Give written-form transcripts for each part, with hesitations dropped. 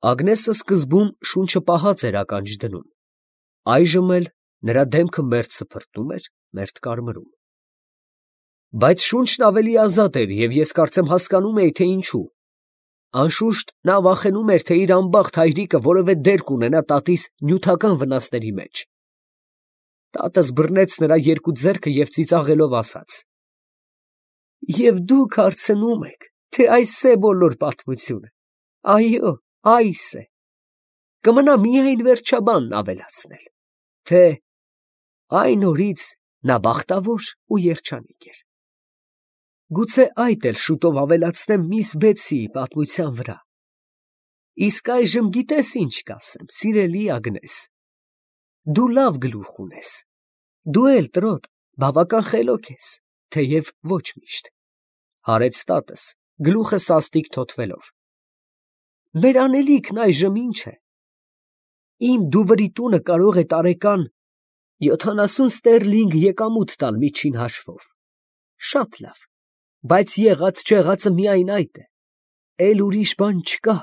Ագնեսը սկզբում շունչը պահած էր ականջ դնում, այժմ էլ նրա դեմքը մերթ սփռտում էր, մերթ կարմրում։ Բայց շունչն ավելի ազատ էր, և ես կարծեմ հասկանում էի, թե ինչու։ Անշուշտ նա վախենում էր, թե իր անբախտ հայրիկը որևէ դեր կունենա տատիս նյութական վնասների մեջ։ Տատս բռնեց նրա երկու ձեռքը և ծիծաղելով ասաց. «Եվ դուք հարցնում եք, թե այս է բոլոր պատմությունը։ Այո, այս է։ Կմնա միայն վերջաբանն ավելացնել, թե այն օրից նա բախտավոր ու երջանիկ էր։ Գուցե այդ էլ շուտով ավելացնեմ միս Բեթսիի պատմության վրա։ Իսկ այժմ գիտես ինչ կասեմ, սիրելի Ագնես, դու լավ գլուխ ունես, դու էլ տրոտ բավական խելոք ես, թեև ոչ միշտ, հարեց տատս, գլուխը սաստիկ թոթվելով։ Մեր անելիքն այժմ ինչ է։ Իմ դուվրի տունը կարող է տարեկան 70 ստերլինգ եկամուտ տալ միջին հաշվով։ Շատ լավ, բայց եղած չեղածը միայն այդ է, էլ ուրիշ բան չկա,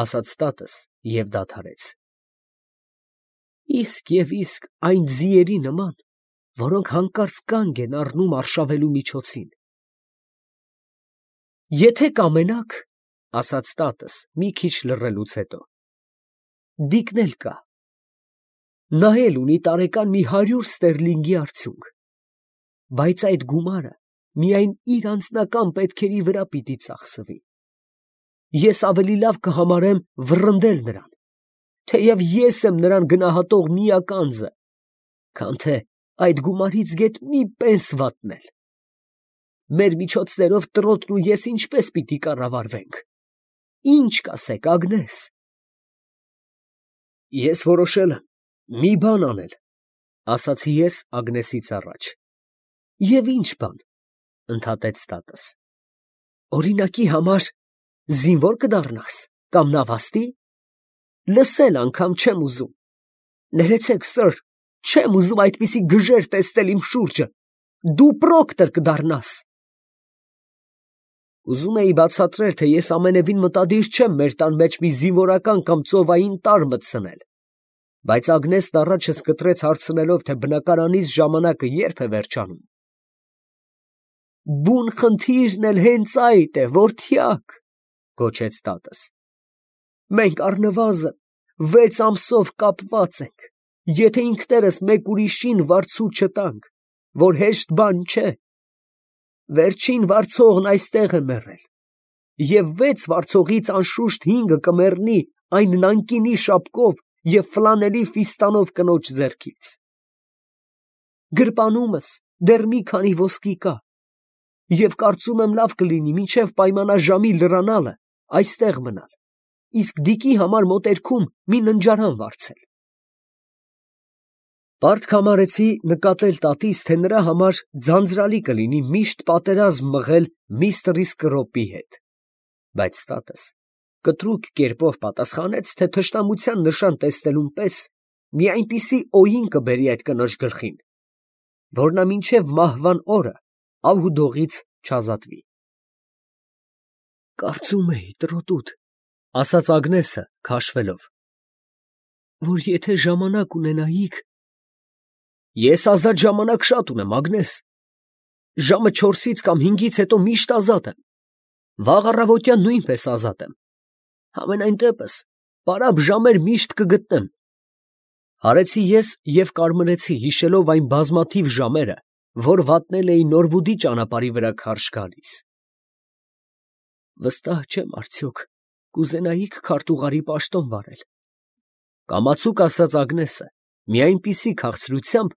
ասաց տատս և դադարեց։ Իսկ և իսկ այն ձիերի նման, որոնք հանկարծ կանգ են առնում արշավելու միջոցին։ Եթե կամենաք, ասաց տատս մի քիչ լռելուց հետո, դիկն էլ կա։ Նա էլ ունի տարեկան մի 100 ստերլինգի արդյունք, բայց այդ գումարը միայն իր անձնական պետքերի վրա պիտի ծախսվի։ Ես ավելի լավ կհամարեմ վռնդել նրան, թեև ես եմ նրան գնահատող միակ անձը, քան թե այդ գումարից գեթ մի պենս վատնել։ Մեր միջոցներով տրոտն ու ես ինչպես պիտի կառավարվենք։ Ինչ կասեք, Ագնես։ Ես որոշել եմ մի բան անել, ասացի ես Ագնեսից առաջ։ Եվ ինչ բան, ընդհատեց տատս։ Օրինակի համար զինվոր կդառնաս կամ նավաստի։ Լսել անգամ չեմ ուզում։ Ներեցեք, սըր, չեմ ուզում այդպիսի գժեր տեսնել իմ շուրջը։ Դու պրոկտոր կդառնաս։ Ուզում էի բացատրել, թե ես ամենևին մտադիր չեմ մեր տան մեջ մի զինվորական կամ ծովային տարր մտցնել, բայց Ագնեսն առաջս կտրեց հարցնելով, թե բնակարանիս ժամանակը երբ է վերջանում։ Բուն խնդիրն էլ հենց այդ է, որդյակ, գոչեց տատս։ Մենք առնվազն 6 ամսով կապված ենք, եթե ինքներս մեկ ուրիշին վարձու չտանք, որ հեշտ բան չէ։ Վերջին վարձողն այստեղ է մեռել, և 6 վարձողից անշուշտ 5-ը կմեռնի այն նանկինի շապկով և ֆլանելի ֆիստանով կնոջ ձեռքից։ Գրպանումս դեռ մի քանի ոսկի կա, և կարծում եմ լավ կլինի մինչև պայմանաժամի լրանալը այստեղ մնալ, իսկ դիկի համար մոտերքում մի ննջարան վարձել։ Պարտք համարեցի նկատել տատիս, թե նրա համար ձանձրալի կլինի միշտ պատերազմ մղել միստր Իսկրոպի հետ, բայց տատս կտրուկ կերպով պատասխանեց, թե թշնամության նշան տեսնելուն պես մի այնպիսի օին կբերի այդ կնոջ գլխին, որ նա մինչև մահվան օրը ահ ու դողից չազատվի։ Կարծում էի, տրոտուդ, ասաց Ագնեսը քաշվելով, որ եթե ժամանակ ունենայիք։ Ես ազատ ժամանակ շատ ունեմ, Ագնես։ Ժամը 4-ից կամ 5-ից հետո միշտ ազատ եմ։ Վաղ առավոտյան նույնպես ազատ եմ։ Համենայն դեպս, պարապ ժամեր միշտ կգտնեմ։ Հարեցի ես և կարմրեցի, հիշելով այն բազմաթիվ ժամերը, որ վատնել էի Նորվուդի ճանապարհի վրա քարշ գալիս։ Վստահ չեմ արդյոք կուզենայիք քարտուղարի պաշտոն վարել, կամացուկ ասաց Ագնեսը մի այնպիսի քաղցրությամբ,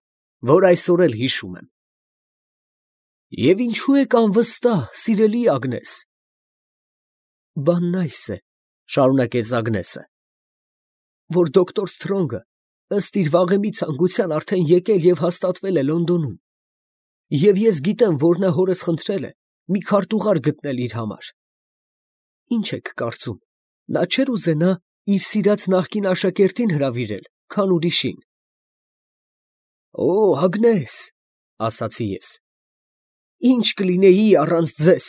որ այսօր էլ հիշում եմ։ Եվ ինչու եք անվստահ, սիրելի Ագնես։ Բանն այս է, շարունակեց Ագնեսը, որ դոկտոր Սթրոնգը ըստ իր վաղեմի ցանկության արդեն եկել և հաստատվել է Լոնդոնում, և ես գիտեմ, որ նա հորս խնդրել է մի քարտուղար գտնել իր համար։ Ինչ եք կարծում, նա չէր ուզենա իր սիրած նախկին աշակերտին հրավիրել, քան ուրիշին։ Օ, Ագնես, ասացի ես, ինչ կլինեի առանց ձեզ,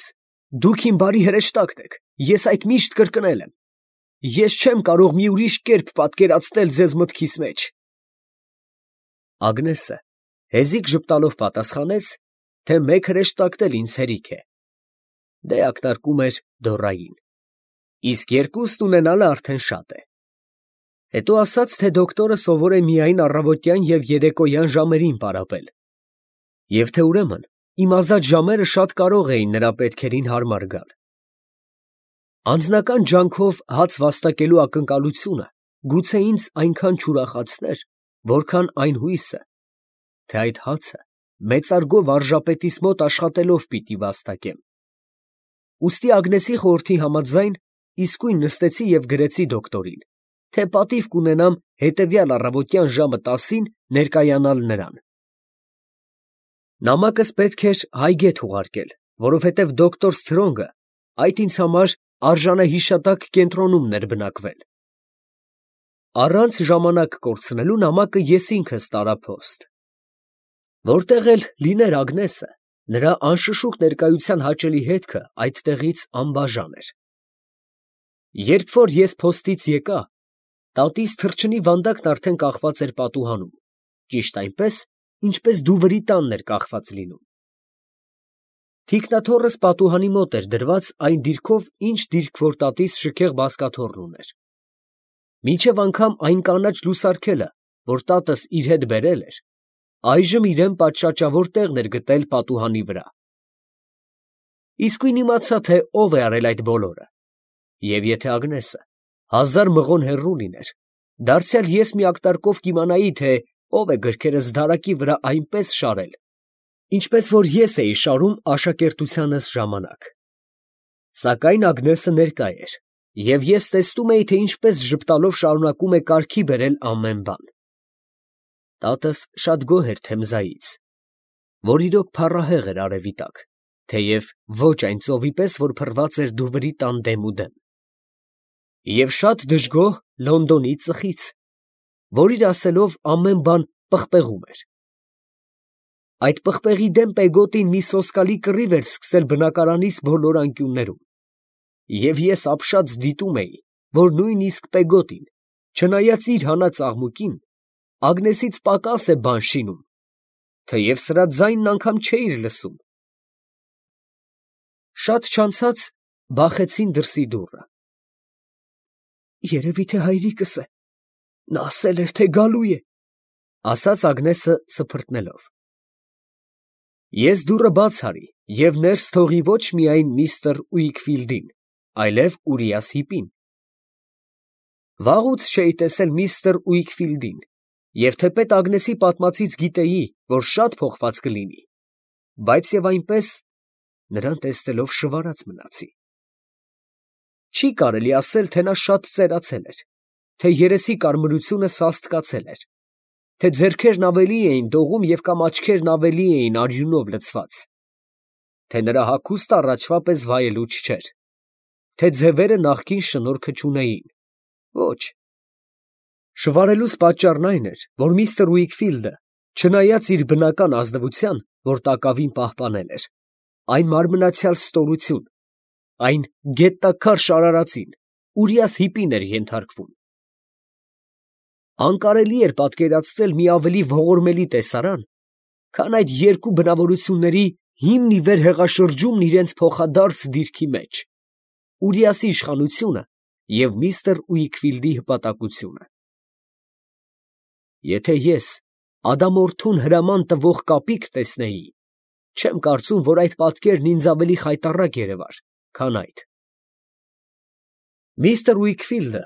դուք իմ բարի հրեշտակն եք, ես այդ միշտ կրկնել եմ։ ես չեմ կարող մի ուրիշ կերպ պատկերացնել ձեզ մտքիս մեջ։ Ագնեսը հեզիք ժպտալով պատասխանեց, թե մեկ հրեշտակն էլ ինձ հերիք է։ Դե ակնարկում էր Դորային, իսկ երկուստ ունենալը արդեն շատ է։ Հետո ասաց, թե դոկտորը սովոր է միայն առավոտյան և երեկոյան ժամերին պարապել, և թե ուրեմն իմ ազատ ժամերը շատ կարող էին նրա պետքերին հարմար գալ։ Անձնական ջանքով հաց վաստակելու ակնկալությունը գուցե ինձ այնքան չուրախացներ, որքան այն հույսը, թե այդ հացը մեծարգո վարժապետիս մոտ աշխատելով պիտի վաստակեմ։ Ուստի Ագնեսի խորհրդի համաձայն իսկույն նստեցի և գրեցի դոկտորին, թե պատիվ կունենամ հետևյալ առավոտյան ժամը 10-ին ներկայանալ նրան։ Նամակս պետք էր Հայգետ ուղարկել, որովհետև դոկտոր Սթրոնգը այդ ինձ համար արժանահիշատակ կենտրոնում էր բնակվել։ Առանց ժամանակ կորցնելու նամակը ես ինքս տարա փոստ։ Որտեղ էլ լիներ Ագնեսը, նրա անշշուկ ներկայության հաճելի հետքը այդտեղից անբաժան էր։ Երբ որ ես փոստից եկա, տատիս թռչնի վանդակն արդեն կախված էր պատուհանում, ճիշտ այնպես, ինչպես դուվրի տանն էր կախված լինում։ Թիկնաթոռս պատուհանի մոտ էր դրված այն դիրքով, ինչ դիրք որ տատիս շքեղ բազկաթոռն ուներ։ Մինչև անգամ այն կանաչ լուսարգելը, որ տատս իր հետ բերել էր, այժմ իրան պատշաճավոր տեղն էր գտել պատուհանի վրա։ Իսկույն իմացա, թե ով է արել այդ բոլորը, և եթե Ագնեսը 1000 մղոն հեռու լիներ, դարձյալ ես մի ակտարկով կիմանայի, թե ով է գրքերս դարակի վրա այնպես շարել, ինչպես որ ես էի շարում աշակերտությանս ժամանակ։ Սակայն Ագնեսը ներկա էր, և ես տեսնում էի, թե ինչպես ժպտալով շարունակում է կարգի բերել ամեն բան։ Տատս շատ գոհ էր Թեմզայից, որ իրոք փառահեղ էր արևի տակ, թեև ոչ այն ծովի պես, որ փռված էր դուվրի տան դեմուդեմ, և շատ դժգոհ Լոնդոնի ծխից, որ իր ասելով ամեն բան պղպեղում էր։ Այդ պղպեղի դեմ Պեգոտին մի սոսկալի կռիվ էր սկսել բնակարանիս բոլոր անկյուններում, և ես ապշած դիտում էի, որ նույնիսկ Պեգոտին, չնայած իր հանած աղմուկին, Ագնեսից պակաս է բան շինում, թեև սրա ձայնն անգամ չէիր լսում։ Շատ չանցած բախեցին դրսի դուռը։ «Երևի թե հայրիկս է, նա ասել էր, թե գալու է», ֊ ասաց Ագնեսը սփռտնելով։ Ես դուռը բաց արի և ներս թողի ոչ միայն միստր Ուիքֆիլդին, այլև Ուրիաս Հիպին։ Վաղուց չէի տեսել միստր Ուիքֆիլդին, և թեպետ Ագնեսի պատմածից գիտեի, որ շատ փոխված կլինի, բայց և այնպես նրան տեսնելով շվարած մնացի։ Չի կարելի ասել, թե նա շատ ծերացել էր, թե երեսի կարմրությունը սաստկացել էր, թե ձեռքերն ավելի էին դողում և կամ աչքերն ավելի էին արյունով լցված, թե նրա հագուստը առաջվա պես վայելուչ չէր, թե ձևերը նախկին շնորհքը չունեին։ Ոչ. շվարելուս պատճառն այն էր, որ միստր Ուիքֆիլդը, չնայած իր բնական ազնվության, որ տակավին պահպանել էր, այն մարմնացյալ ստորություն, այն գետաքար շարարածին, Ուրիաս Հիպին էր ենթարկվում։ Անկարելի էր պատկերացնել մի ավելի ողորմելի տեսարան, քան այդ երկու բնավորությունների հիմն ի վեր հեղաշրջումն իրենց փոխադարձ դիրքի մեջ, Ուրիասի իշխանությունը և միստր Ուիքֆիլդի հպատակությունը։ Եթե ես ադամորդուն հրաման տվող կապիկ տեսնեի, չեմ կարծում, որ այդ պատկերն ինձ ավելի խայտառակ երևար, քան այդ։ Միստր Ուիքֆիլդը,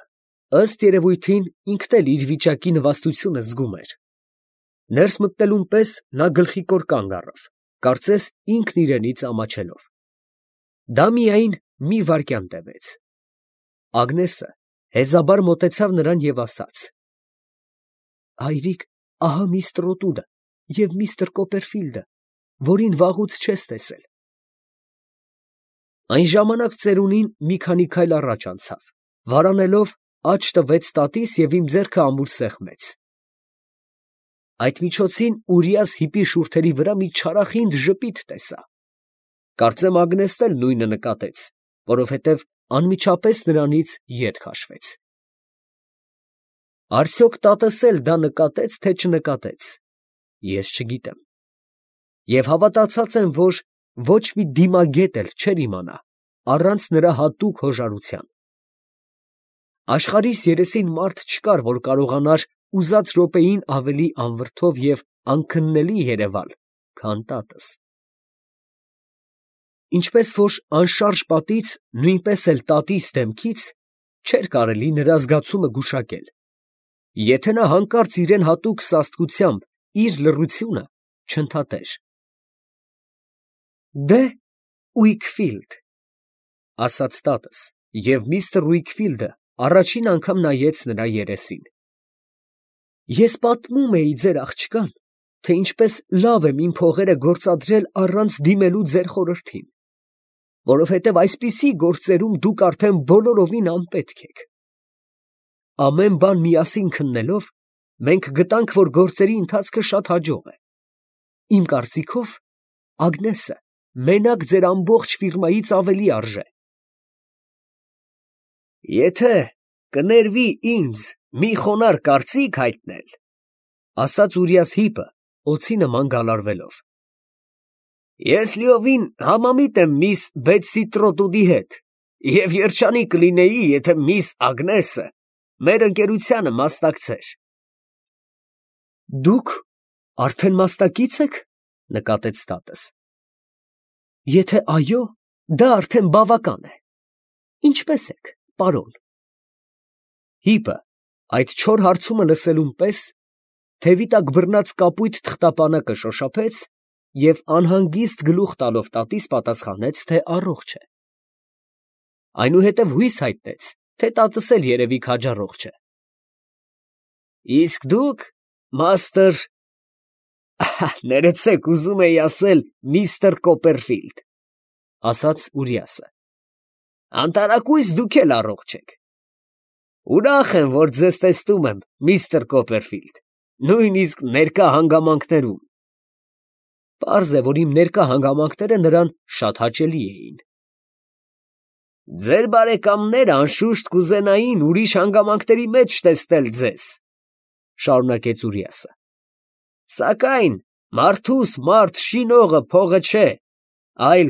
ըստ երևույթին, ինքն էլ իր վիճակի նվաստությունը զգում էր։ Ներս մտնելուն պես նա գլխիկոր կանգ առավ, կարծես ինքն իրենից ամաչելով։ Դա միայն մի վայրկյան տևեց։ Ագնեսը հեզաբար մոտեցավ նրան և ասաց. «Հայրիկ, ահա միստր Օտուդը և միստր Կոպերֆիլդը, որին վաղուց չես տեսել»։ Այն ժամանակ ծերունին մի քանի քայլ առաջ անցավ, վարանելով աջ տվեց տատիս և իմ ձեռքը ամուր սեղմեց։ Այդ միջոցին Ուրիաս Հիպի շուրթերի վրա մի չարախինդ ժպիտ տեսա։ Կարծեմ Ագնեսն էլ նույնը նկատեց, որովհետև անմիջապես նրանից ետ քաշվեց։ Արդյոք տատս էլ դա նկատեց, թե չնկատեց, ես չգիտեմ, և հավատացած եմ, որ ոչ մի դիմագետ էլ չէր իմանա առանց նրա հատուկ հոժարության։ Աշխարհիս երեսին մարդ չկար, որ կարողանար ուզած րոպեին ավելի անվրդով և անքննելի երևալ, քան տատս։ Ինչպես որ անշարժ պատից, նույնպես էլ տատիս դեմքից չէր կարելի նրա զգացումը գուշակել, եթե նա հանկարծ իրան հատուկ սաստկությամբ իր լռությունը չընդհատեր։ «Դե, Ուիքֆիլդ, ֊ ասաց տատս, և միստր Ուիքֆիլդը առաջին անգամ նայեց նրա երեսին, ֊ ես պատմում էի ձեր աղջկան, թե ինչպես լավ եմ իմ փողերը գործադրել առանց դիմելու ձեր խորհրդին, որովհետև այսպիսի գործերում դուք արդեն բոլորովին անպետք եք։ Ամեն բան միասին քննելով, մենք գտանք, որ գործերի ընթացքը շատ հաջող է։ Իմ կարծիքով, Ագնեսը մենակ ձեր ամբողջ ֆիրմայից ավելի արժե։ Եթե կներվի ինձ մի խոնարհ կարծիք հայտնել, ֊ ասաց Ուրիաս հիպը, օձի նման գալարվելով, ֊ ես լիովին համամիտ եմ միս Բեթսի Տրոտուդի հետ և երջանիկ կլինեի, եթե միս Ագնեսը մեր ընկերությանը մասնակցեր։ Դուք արդեն մասնակից եք, ֊ նկատեց տատս։ Եթե այո, դա արդեն բավական է։ Ինչպե՞ս եք, պարոն։ Հիպը այդ չոր հարցումը լսելուն պես թևի տակ բռնած կապույտ թղթապանակը շոշափեց և անհանգիստ գլուխ տալով տատիս պատասխանեց, թե առողջ է։ Այնուհետև հույս հայտնեց, թե տատս էլ երևի քաջառողջ է։ Իսկ դուք, մաստր… ներեցեք, ուզում էի ասել միստր Կոպերֆիլդ, ֊ ասաց Ուրիասը, ֊ անտարակույս դուք էլ առողջ եք։ Ուրախ եմ, որ ձեզ տեսնում եմ, միստր Կոպերֆիլդ, նույնիսկ ներկա հանգամանքներում։ Պարզ է, որ իմ ներկա հանգամանքները նրան շատ հաճելի էին։ Ձեր բարեկամները անշուշտ կուզենային ուրիշ հանգամանքների մեջ տեսնել ձեզ, ֊ շարունակեց Ուրիասը, ֊ սակայն մարդուս մարդ շինողը փողը չէ, այլ…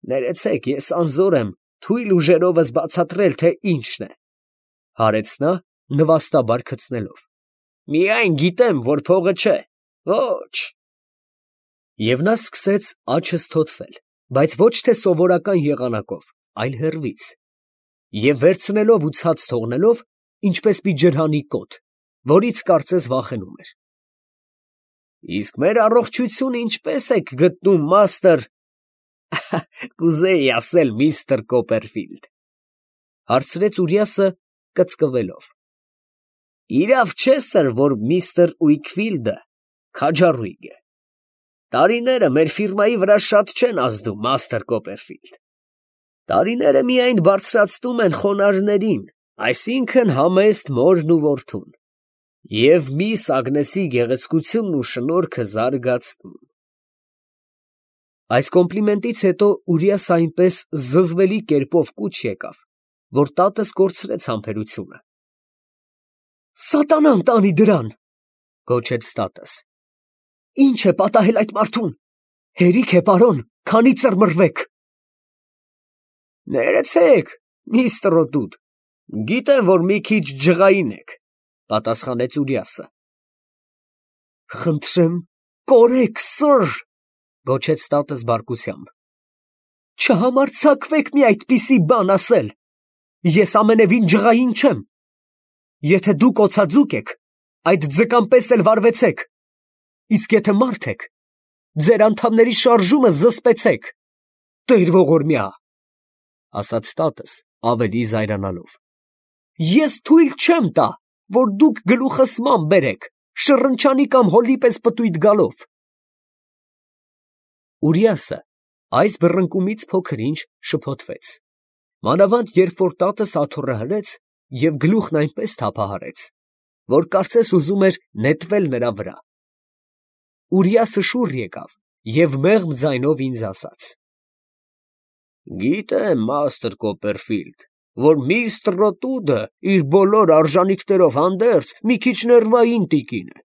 ներեցեք, ես անզոր եմ թույլ ուժերովս բացատրել, թե ինչն է, ֊ հարեց նա, նվաստաբար քցնելով, ֊ միայն գիտեմ, որ փողը չէ, ոչ… Եվ նա սկսեց աջը թոթվել, բայց ոչ թե սովորական եղանակով, այլ հեռվից, և վերցնելով ու ցած թողնելով, ինչպես մի ջրհանի կոթ, որից կարծես վախենում էր։ Իսկ մեր առողջությունը ինչպե՞ս եք գտնում, մաստր… կուզեի ասել միստր Կոպերֆիլդ, ֊ հարցրեց Ուրիասը կծկվելով։ Իրավ չէ, սըր, որ միստր Ուիքֆիլդը քաջառույգ է։ Տարիները մեր ֆիրմայի վրա շատ չեն ազդում, մաստր Կոպերֆիլդ։ Տարիները միայն բարձրացնում են խոնարհներին, այսինքն համեստ մորն ու որդուն, և միս Ագնեսի գեղեցկությունն ու շնորհքը զարգացնում։ Այս կոմպլիմենտից հետո Ուրիասը այնպես զզվելի կերպով կուչ եկավ, որ տատս կորցրեց համբերությունը։ Սատանան տանի դրան, ֊ գոչեց տատս, ֊ ինչ է պատահել այդ մարդուն, հերիք է, պարոն, քանի ծռմռվեք։ Ներեցեք, միստր Տրոտուդ, գիտեմ, որ մի քիչ ջղային եք, ֊ պատասխանեց Ուրիասը։ Խնդրեմ, կորեք, սըր, ֊ գոչեց տատս բարկությամբ, ֊ չհամարձակվեք մի այդպիսի բան ասել, ես ամենևին ջղային չեմ։ Եթե դուք օձաձուկ եք, այդ ձկան պես էլ վարվեցեք, իսկ եթե մարդ եք, ձեր անդամների շարժումը զսպեցեք, տեր ողորմյա, ֊ ասաց տատս ավելի զայրանալով, ես թույլ չեմ տա, որ դուք գլուխս ման բերեք, շռնչանի կամ հոլի պես պտույտ գալով։ Ուրիասը այս բռնկումից փոքր-ինչ շփոթվեց, մանավանդ երբ որ տատս աթոռը հրեց և գլուխն այնպես թափահարեց, որ կարծես ուզում էր նետվել նրա վրա։ Ուրիասը շուռ եկավ և մեղմ ձայնով ինձ ասաց. Գիտեմ, Մաստր Կոպերֆիլդ, որ միստր Ռոտուդը իր բոլոր արժանիքներով հանդերձ մի քիչ ներվային տիկին է։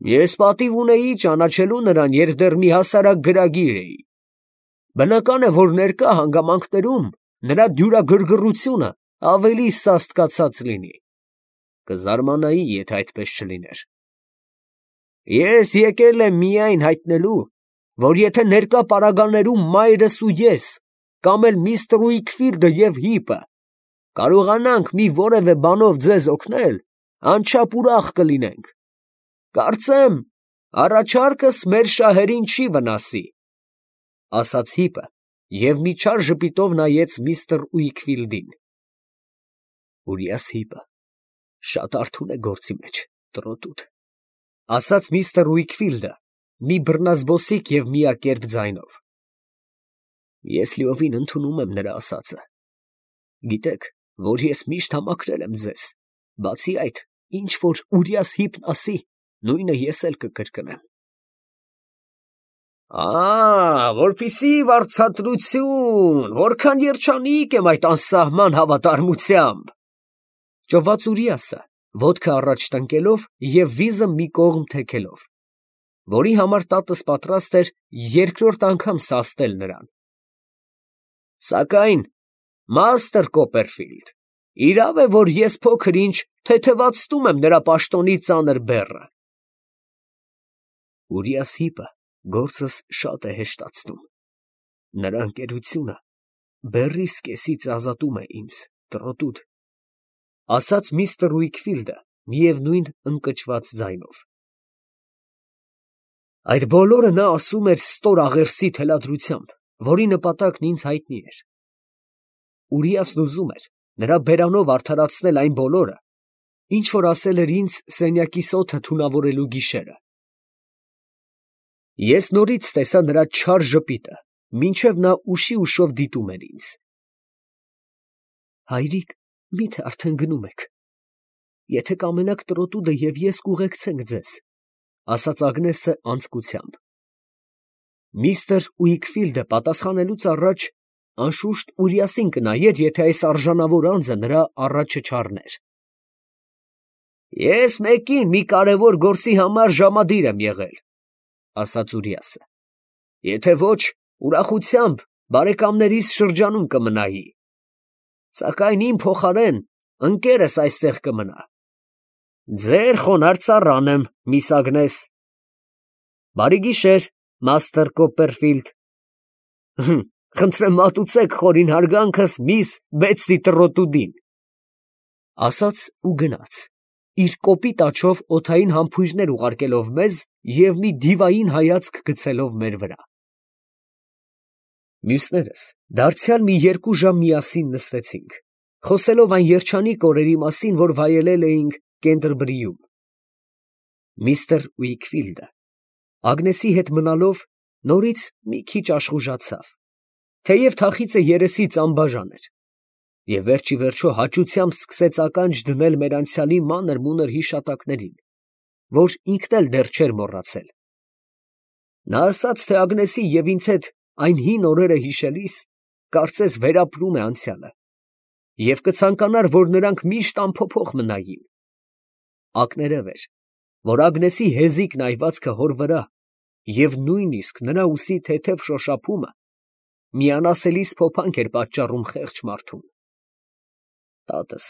Ես պատիվ ունեի ճանաչելու նրան, երբ դեռ մի հասարակ գրագիր էի։ Բնական է, որ ներկա հանգամանքներում նրա դյուրագրգռությունը ավելի սաստկացած լինի։ Կզարմանայի, եթե այդպես չլիներ։ Ես եկել եմ միայն հայտնելու, որ եթե ներկա պարագաներում մայրս ու ես, կամ էլ միստր Ուիքֆիլդը և հիպը, կարողանանք մի որևէ բանով ձեզ օգնել, անչափ ուրախ կլինենք։ Կարծեմ, առաջարկս մեր շահերին չի վնասի, ֊ ասաց հիպը և մի չար ժպիտով նայեց միստր Ուիքֆիլդին։ Ուրիաս հիպը շատ արթուն է գործի մեջ, տրոտուտ, ֊ ասաց միստր Ուիքֆիլդը մի բռնազբոսիկ և միակերպ ձայնով։ Ես լիովին ընդունում եմ նրա ասածը։ Գիտեք, որ ես միշտ համակրել եմ ձեզ, բացի այդ, ինչ որ Ուրիաս հիպն ասի, նույնը ես էլ կկրկնեմ։ Որպիսի վարձատրություն, որքան երջանիկ եմ այդ անսահման հավատարմությամբ, ֊ ճոված Ուրիասը, ոտքը առաջ տնկելով և վիզը մի կողմ թեքելով, որի համար տատս պատրաստ էր երկրորդ անգամ սաստել նրան։ Սակայն, Մաստր Կոպերֆիլդ, իրավ է, որ ես փոքր-ինչ թեթևացնում եմ նրա պաշտոնի ծանր բեռը։ Ուրիաս հիպը գործս շատ է հեշտացնում։ Նրա ընկերությունը բեռիս կեսից ազատում է ինձ, տրոտուտ, ֊ ասաց միստր Ուիքֆիլդը միևնույն ընկճված ձայնով։ Այդ բոլորը նա ասում էր ստոր աղերսի թելադրությամբ, որի նպատակն ինձ հայտնի էր։ Ուրիասն ուզում էր նրա բերանով արդարացնել այն բոլորը, ինչ որ ասել էր ինձ սենյակիս օդը թունավորելու գիշերը։ Ես նորից տեսա նրա չար ժպիտը, մինչև նա ուշի ուշով դիտում էր ինձ։ Հայրիկ, մի՞թե արդեն գնում եք։ Եթե կամենաք, տրոտուդը և ես կուղեկցենք ձեզ, ֊ ասաց Ագնեսը անձկությամբ։ Միստր Ուիքֆիլդը պատասխանելուց առաջ անշուշտ Ուրիասին կնայեր, եթե այս արժանավոր անձը նրա առաջը չառներ։ Ես մեկին մի կարևոր գործի համար ժամադիր եմ եղել, ֊ ասաց Ուրիասը։ Եթե ոչ, ուրախությամբ բարեկամներիս շրջանում կմնայի։ Սակայն իմ փոխարեն ընկերս այստեղ կմնա։ Ձեր խոնարհ ծառան եմ, միս Ագնես։ Բարի գիշեր, Մաստր Կոպերֆիլդ։ Խնդրեմ մատուցեք խորին հարգանքս միս Բեթսի Տրոտուդին, ֊ ասաց ու գնաց, իր կոպիտ աջով օդային համբույրներ ուղարկելով մեզ և մի դիվային հայացք գցելով մեր վրա։ Մյուսներս դարձյալ մի 2 ժամ միասին նստեցինք, խոսելով այն երջանիկ օրերի մասին, որ վայելել էինք Կենտերբրիում։ Միստր Ուիքֆիլդը Ագնեսի հետ մնալով նորից մի քիչ աշխուժացավ, թեև թախիծը երեսից անբաժան էր, և վերջիվերջո հաճությամբ սկսեց ականջ դնել մեր անցյալի մանր֊մունր հիշատակներին, որ ինքն էլ դեռ չէր մոռացել։ Նա ասաց, թե Ագնեսի և ինձ հետ այն հին օրերը հիշելիս, կարծես վերապրում է անցյալը, և կցանկանար, որ նրանք միշտ անփոփոխ մնային։ Ակներև էր, որ Ագնեսի հեզիկ նայվածքը հոր վրա և նույնիսկ նրա ուսի թեթև շոշափումը մի անասելի սփոփանք էր պատճառում խեղճ մարդուն։ Տատս,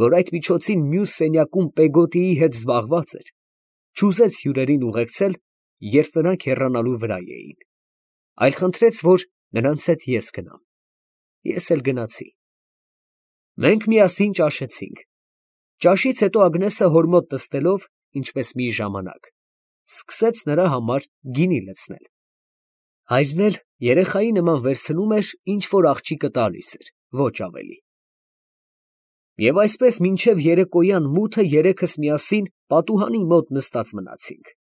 որ այդ միջոցին մյուս սենյակում Պեգոտիի հետ զբաղված էր, չուզեց հյուրերին ուղեկցել, երբ նրանք հեռանալու վրա էին, այլ խնդրեց, որ նրանց հետ ես գնամ։ Ես էլ գնացի։ Մենք միասին ճաշեցինք։ Ճաշից հետո Ագնեսը հոր մոտ նստելով, ինչպես մի ժամանակ, սկսեց նրա համար գինի լցնել։ Հայրն էլ երեխայի նման վերցնում էր, ինչ որ աղջիկը տալիս էր, ոչ ավելի։ Եվ այսպես մինչև երեկոյան մութը երեքս միասին պատուհանի մոտ նստած մնացինք։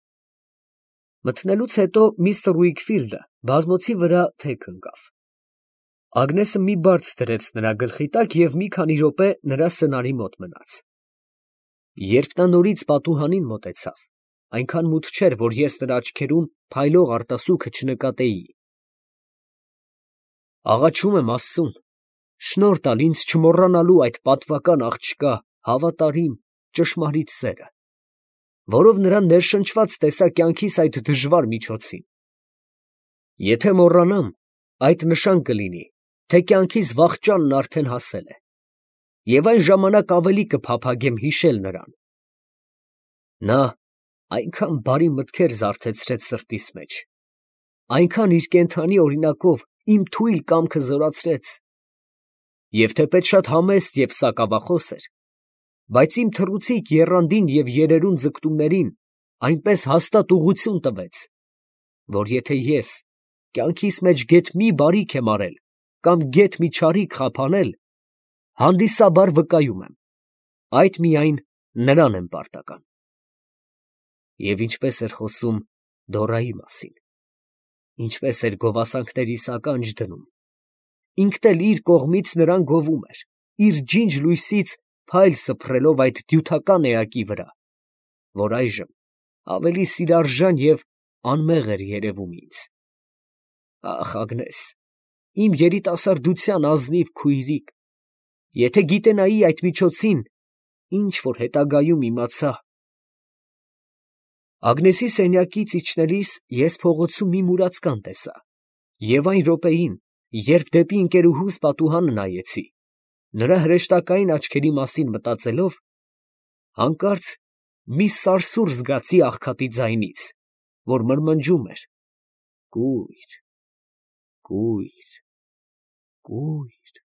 Մթնելուց հետո միստր Ուիքֆիլդը բազմոցի վրա թեք ընկավ։ Ագնեսը մի բարձ դրեց նրա գլխի տակ և մի քանի րոպե նրա սնարի մոտ մնաց։ Երբ նա նորից պատուհանին մոտեցավ, այնքան մութ չէր, որ ես նրա աչքերում փայլող արտասուքը չնկատեի։ Աղաչում եմ Աստծուն, շնորհ տալ ինձ չմոռանալու այդ պատվական աղջկա հավատարիմ, ճշմարիտ սերը, որով նրան ներշնչված տեսա կյանքիս այդ դժվար միջոցին։ Եթե մոռանամ, այդ նշան կլինի, թե կյանքիս վախճանն արդեն հասել է, և այն ժամանակ ավելի կփափագեմ հիշել նրան։ Նա այնքան բարի մտքեր զարթեցրեց սրտիս մեջ, այնքան իր կենդանի օրինակով իմ թույլ կամքը զորացրեց, և թեպետ շատ համեստ և սակավախոս էր, բայց իմ թռուցիկ եռանդին և երերուն ձգտումներին այնպես հաստատ ուղղություն տվեց, որ եթե ես կյանքիս մեջ գեթ մի բարիք եմ արել կամ գեթ մի չարիք խափանել, հանդիսաբար վկայում եմ, այդ միայն նրան եմ պարտական։ Եվ ինչպես էր խոսում Դորայի մասին, ինչպես էր գովասանքներիս ականջ դնում, ինքն էլ իր կողմից նրան գովում էր, իր ջինջ լույսից փայլ սփռելով այդ դյութական էակի վրա, որ այժմ ավելի սիրարժան և անմեղ էր երևում ինձ։ Ախ, Ագնես, իմ երիտասարդության ազնիվ քույրիկ, եթե գիտենայի այդ միջոցին, ինչ որ հետագայում իմացա… Ագնեսի սենյակից իջնելիս ես փողոցում մի մուրացկան տեսա, և այն րոպեին, երբ դեպի ընկերուհուս պատուհանը նայեցի, նրա հրեշտակային աչքերի մասին մտածելով, հանկարծ մի սարսուռ զգացի աղքատի ձայնից, որ մրմնջում էր. «Կույր, կույր, կույր»։